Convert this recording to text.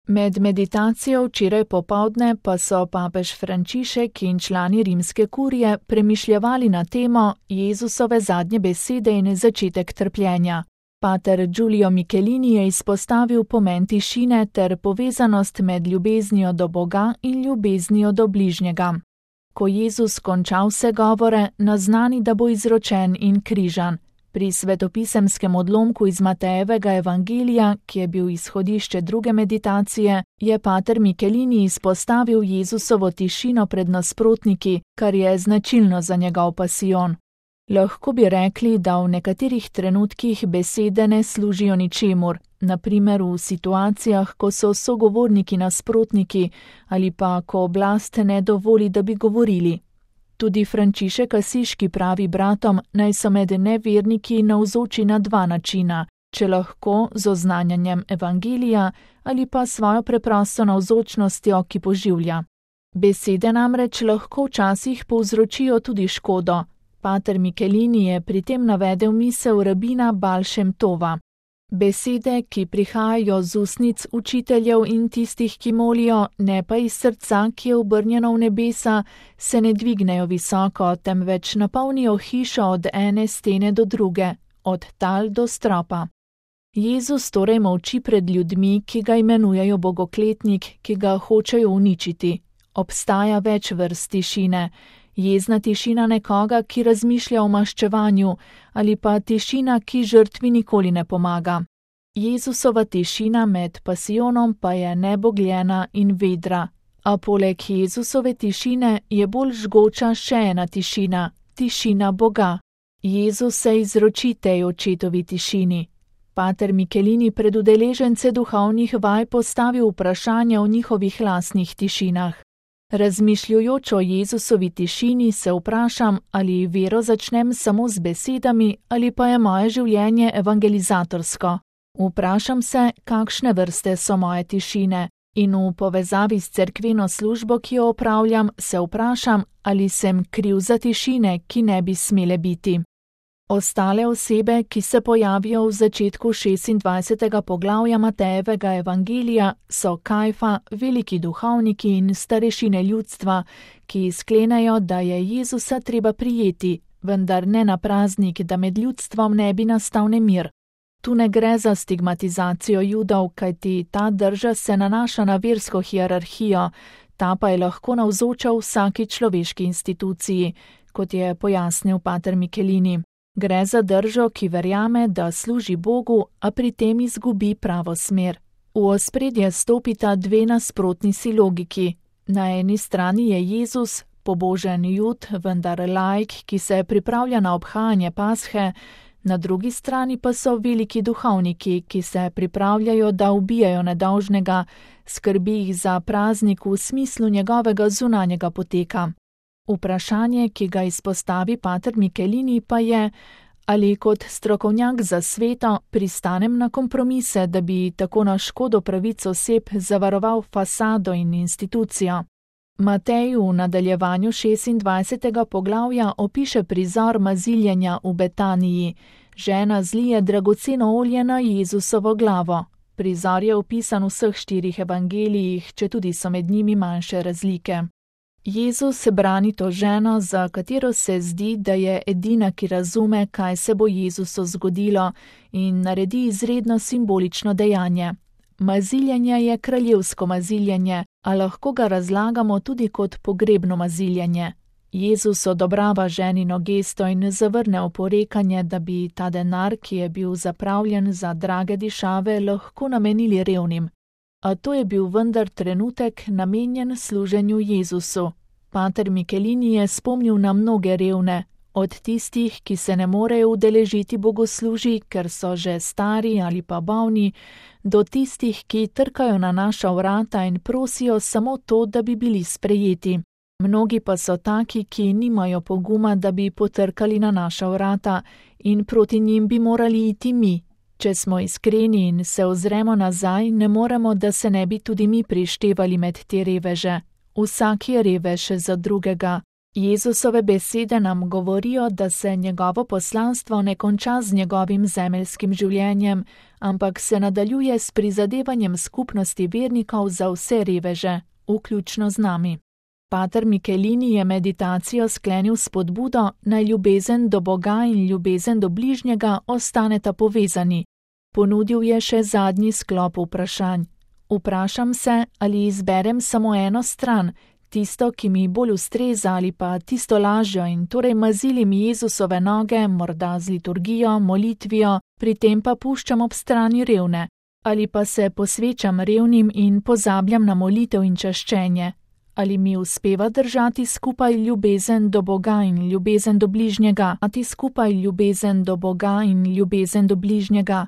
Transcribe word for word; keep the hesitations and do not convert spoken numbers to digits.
Med meditacijo včeraj popoldne pa so papež Frančišek in člani rimske kurije premišljevali na temo Jezusove zadnje besede in začetek trpljenja. Pater Giulio Michelini je izpostavil pomen tišine ter povezanost med ljubeznijo do Boga in ljubeznijo do bližnjega. Ko Jezus konča vse govore, naznani, da bo izročen in križan. Pri svetopisemskem odlomku iz Matejevega evangelija, ki je bil izhodišče druge meditacije, je pater Michelini izpostavil Jezusovo tišino pred nasprotniki, kar je značilno za njegov pasijon. Lahko bi rekli, da v nekaterih trenutkih besede ne služijo ničemur, na primer v situacijah, ko so sogovorniki nasprotniki ali pa ko oblast ne dovoli, da bi govorili. Tudi Frančišek Asiški pravi bratom, naj so med neverniki navzoči na dva načina, če lahko z oznanjanjem evangelija ali pa svojo preprosto navzočnostjo, ki poživlja. Besede namreč lahko včasih povzročijo tudi škodo. Pater Michelini je pri tem navedel misel rabina Baal Shem Tova. Besede, ki prihajajo z ustnic učiteljev in tistih, ki molijo, ne pa iz srca, ki je obrnjeno v nebesa, se ne dvignejo visoko, temveč napolnijo hišo od ene stene do druge, od tal do stropa. Jezus torej molči pred ljudmi, ki ga imenujejo bogokletnik, ki ga hočejo uničiti. Obstaja več vrst tišine. Jezna tišina nekoga, ki razmišlja o maščevanju, ali pa tišina, ki žrtvi nikoli ne pomaga. Jezusova tišina med pasijonom pa je nebogljena in vedra, a poleg Jezusove tišine je bolj žgoča še ena tišina, tišina Boga. Jezus se izroči tej očetovi tišini. Pater Michelini pred udeležence duhovnih vaj postavil vprašanja o njihovih lastnih tišinah. Razmišljujoč o Jezusovi tišini se vprašam, ali vero začnem samo z besedami ali pa je moje življenje evangelizatorsko. Vprašam se, kakšne vrste so moje tišine in v povezavi s cerkveno službo, ki jo opravljam, se vprašam, ali sem kriv za tišine, ki ne bi smele biti. Ostale osebe, ki se pojavijo v začetku šestindvajsetega poglavja Matejevega evangelija, so Kajfa, veliki duhovniki in starešine ljudstva, ki sklenejo, da je Jezusa treba prijeti, vendar ne na praznik, da med ljudstvom ne bi nastal nemir. Tu ne gre za stigmatizacijo Judov, kajti ta drža se nanaša na versko hierarhijo, ta pa je lahko navzoča v vsaki človeški instituciji, kot je pojasnil pater Michelini. Gre za držo, ki verjame, da služi Bogu, a pri tem izgubi pravo smer. V ospredje stopita dve nasprotni si logiki. Na eni strani je Jezus, pobožen Jud, vendar laik, ki se pripravlja na obhajanje Pashe, na drugi strani pa so veliki duhovniki, ki se pripravljajo, da ubijajo nedolžnega, skrbi jih za praznik v smislu njegovega zunanjega poteka. Vprašanje, ki ga izpostavi pater Michelini, pa je, ali kot strokovnjak za sveto pristanem na kompromise, da bi tako na škodo pravic oseb zavaroval fasado in institucijo. Matej v nadaljevanju šestindvajsetega poglavja opiše prizor maziljenja v Betaniji. Žena zlije dragoceno olje na Jezusovo glavo. Prizor je opisan v vseh štirih evangelijih, četudi so med njimi manjše razlike. Jezus brani to ženo, za katero se zdi, da je edina, ki razume, kaj se bo Jezusu zgodilo, in naredi izredno simbolično dejanje. Maziljenje je kraljevsko maziljenje, a lahko ga razlagamo tudi kot pogrebno maziljenje. Jezus odobrava ženino gesto in zavrne oporekanje, da bi ta denar, ki je bil zapravljen za drage dišave, lahko namenili revnim. A to je bil vendar trenutek namenjen služenju Jezusu. Pater Michelini je spomnil na mnoge revne, od tistih, ki se ne morejo udeležiti bogoslužij, ker so že stari ali pa bolni, do tistih, ki trkajo na naša vrata in prosijo samo to, da bi bili sprejeti. Mnogi pa so taki, ki nimajo poguma, da bi potrkali na naša vrata, in proti njim bi morali iti mi. Če smo iskreni in se ozremo nazaj, ne moremo, da se ne bi tudi mi prištevali med te reveže. Vsak je revež za drugega. Jezusove besede nam govorijo, da se njegovo poslanstvo ne konča z njegovim zemeljskim življenjem, ampak se nadaljuje s prizadevanjem skupnosti vernikov za vse reveže, vključno z nami. Pater Michelini je meditacijo sklenil s spodbudo, naj ljubezen do Boga in ljubezen do bližnjega ostaneta povezani. Ponudil je še zadnji sklop vprašanj. Vprašam se, ali izberem samo eno stran, tisto, ki mi bolj ustreza, ali pa tisto lažjo in torej mazilim Jezusove noge, morda z liturgijo, molitvijo, pri tem pa puščam ob strani revne, ali pa se posvečam revnim in pozabljam na molitev in čaščenje. Ali mi uspeva držati skupaj ljubezen do Boga in ljubezen do bližnjega, a ti skupaj ljubezen do Boga in ljubezen do bližnjega,